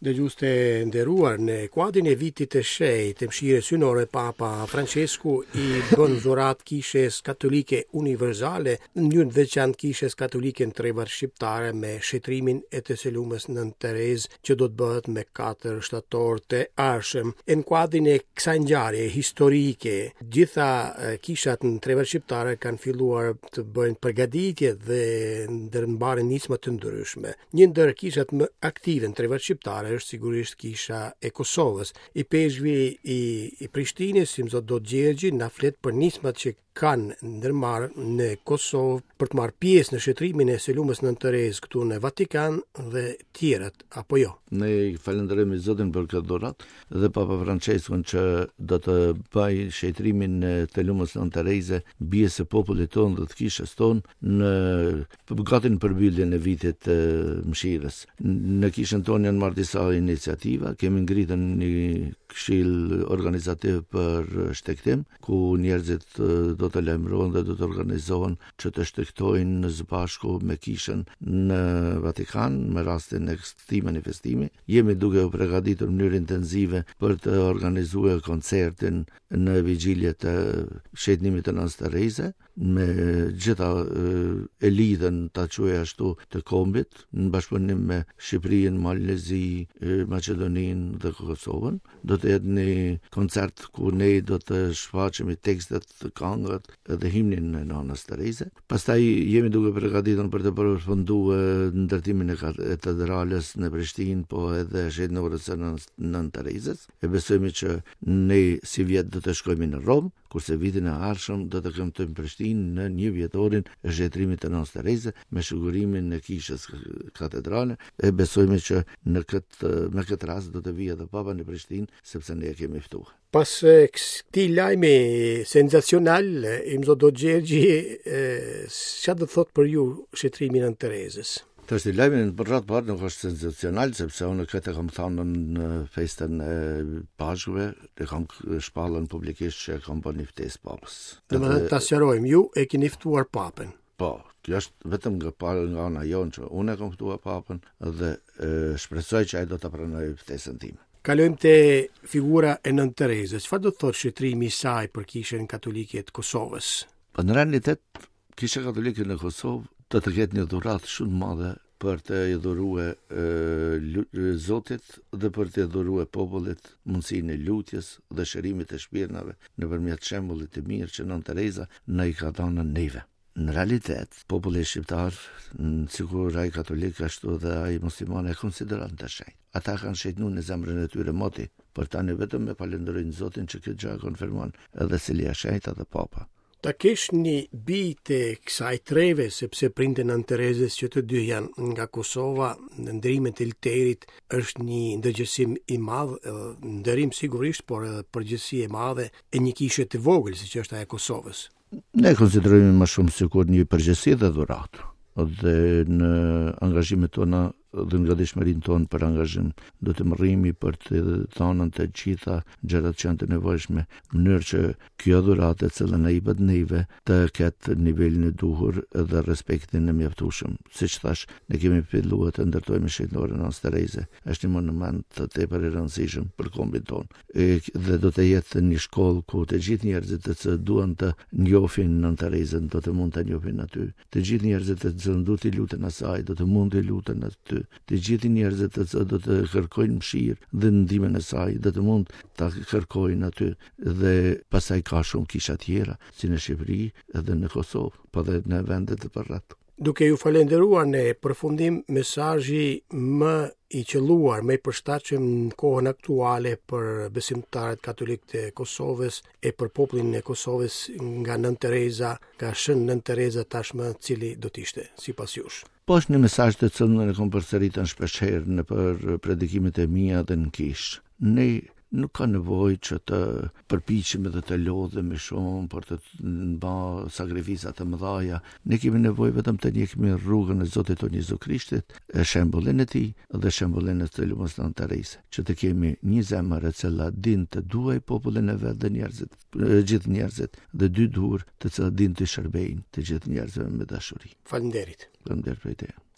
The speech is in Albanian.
Dëgjues të nderuar, në kuadrin e vitit të shenjtë të mëshirës hyjnore Papa Françesku i bën dhuratë Kishës Katolike Universale, në mënyrë të veçantë Kishës Katolike në trevat shqiptare me shenjtërimin e të së lumës Nënë Terezë që do të bëhet me 4 shtator të ardhshëm. E në kuadrin e kësaj ngjarje historike, gjitha kishat në trevat shqiptare kanë filluar të bëjnë përgatitje dhe ndërmarrin nisma të ndryshme. Një ndër kishat më aktive në trevat shqiptare është sigurisht kisha e Kosovës. Ipeshkvi i, i Prishtinës, Imzot Dodë Gjergji, na flet për nismat që kanë ndërmarrë në Kosovë për të marrë pjesë në shenjtërimin e së lumës Nënë Terezë këtu në Vatikan dhe tjerat, apo jo. Ne falënderojmë Zotin për këtë dhuratë dhe Papa Françeskun që do të bëjë shenjtërimin e të lumës Nënë Tereze, bijës së popullit tonë dhe të kishës tonë në gati në përmbylljen e vitit të mëshirës. Në kishën tonë janë marrë disa iniciativa, kemi ngritën një këshill organizativ për shtegtim, ku njerëzit do të lajmërohen dhe do të organizohen që të shtegtojnë së bashku me kishën në Vatikan me rastin e këtij manifestimi. Jemi duke u përgatitur në mënyrë intensive për të organizuar koncertin në vigjilje të shenjtërimit të Nënës Tereze me gjitha elitën ta quaj ashtu të kombit në bashkëpunim me Shqipërinë, Malin e Zi, Maqedoninë dhe Kosovën. Do të jetë një koncert ku ne do të shfaqemi tekstet, këngët dhe himnin e Nënës Tereze. Pastaj jemi duke përgatitur për të përfunduar ndërtimin e katedrales në Prishtinë, po edhe shenjtërores së Nënë Terezës. E besojmë që ne sivjet do të shkojmë në Romë, kurse vitin e ardhshëm do të kremtojmë Prishtinë në njëvjetorin e shenjtërimit të Nënës Tereze me shugurimin e kishës katedrale. E besojmë që në këtë me këtë rast do të vijë edhe Papa në Prishtinë, sepse ne e kemi ftuar. Pas këtij lajmi senzacional, Imzot Dodë Gjergji, çka do të thotë për ju shenjtërimi i Nënë Terezës? Tash lajmi në për radhë parë nuk është senzacional, sepse unë këtë e kam thanë në festën e Pashkëve, e kam shpallën publikisht që e kam bërë një ftesë papës. Domethënë ta sqarojmë, ju e keni ftuar papën. Po, kjo është vetëm nga parë nga ana jonë që unë e kam ftuar papën dhe e, shpresoj që ai do ta pranojë ftesën time. Kalojmë te figura e Nënë Terezës. Çfarë do të thotë shenjtërimi i saj për Kishën Katolike të Kosovës? Po në realitet Kisha Katolike në Kosovë do të ketë një dhuratë shumë të madhe për të i dhurue Zotit dhe për të dhurue popullit mundësinë e lutjes dhe shërimit të shpirtnave nëpërmjet shembullit të mirë që Nënë Tereza na i ka dhënë neve. Në realitet, populli shqiptar, sikur ai katolik ashtu dhe ai musliman e konsideron të shenjtë. Ata kanë shenjtnu në zemrën e tyre moti, por tani vetëm e falënderojnë Zotin që këtë gjë e konfirmon edhe Selia e Shenjtë dhe Papa. Ta kesh një bijë të kësaj treve, sepse prindët e Nënë Terezës që të dy janë nga Kosova, në nderimin e Lterit është një ndërgjegjësim i madh, nderim sigurisht, por edhe përgjegjësi e madhe e një kishe të vogël siç është ajo e Kosovës. Ne konsiderojmë më shumë sikur një përgjegjësi dhe dhuratë dhe në angazhimet tona dhe në gatishmërinë tonë për angazhim do të mrrimi për të dhënë të gjitha gjërat që janë të nevojshme, në mënyrë që kjo dhuratë e cila na jepet neve të ketë nivelin e duhur dhe respektin e mjaftueshëm. Siç thash, ne kemi filluar të ndërtojmë shenjtëroren e Nënës Tereze. Është një monument tepër i rëndësishëm për kombin tonë. E, dhe do të jetë një shkollë ku të gjithë njerëzit të cilët duan të njohin Nënë Terezën do të mund ta njohin aty. Të gjithë njerëzit të cilët do t'i luten asaj do të mund t'i luten aty. Të gjithë njerëzit të cilët do të kërkojnë mëshirë dhe ndihmën e saj do të mund ta kërkojnë aty. Dhe pastaj ka shumë kisha tjera, si në Shqipëri edhe në Kosovë, po dhe në vendet e përreth. Duke ju falenderuar në përfundim mesazhi më i qëlluar, më i përshtatshëm në kohën aktuale për besimtarët katolikë të Kosovës e për popullin e Kosovës nga Nënë Tereza, nga Shën Nënë Tereza tashmë cili do të ishte sipas jush. Po është një mesazh të cilën e kam përsëritur shpeshherë nëpër predikimet e mia dhe në kishë. Ne nuk ka nevojë që të përpiqemi dhe të lodhemi shumë për të ba sakrifica të mëdha. Ne kemi nevojë vetëm të ndjekim rrugën e Zotit tonë Jezu Krishtit, e shembullin e tij dhe shembullin e të lumës Nënë Tereze, që të kemi një zemër e cila din të duaj popullin e vet dhe njerëzit, gjithë njerëzit dhe dy durë të cilat din të shërbejnë të gjithë njerëzve me dashuri. Faleminderit. Faleminderit për teje.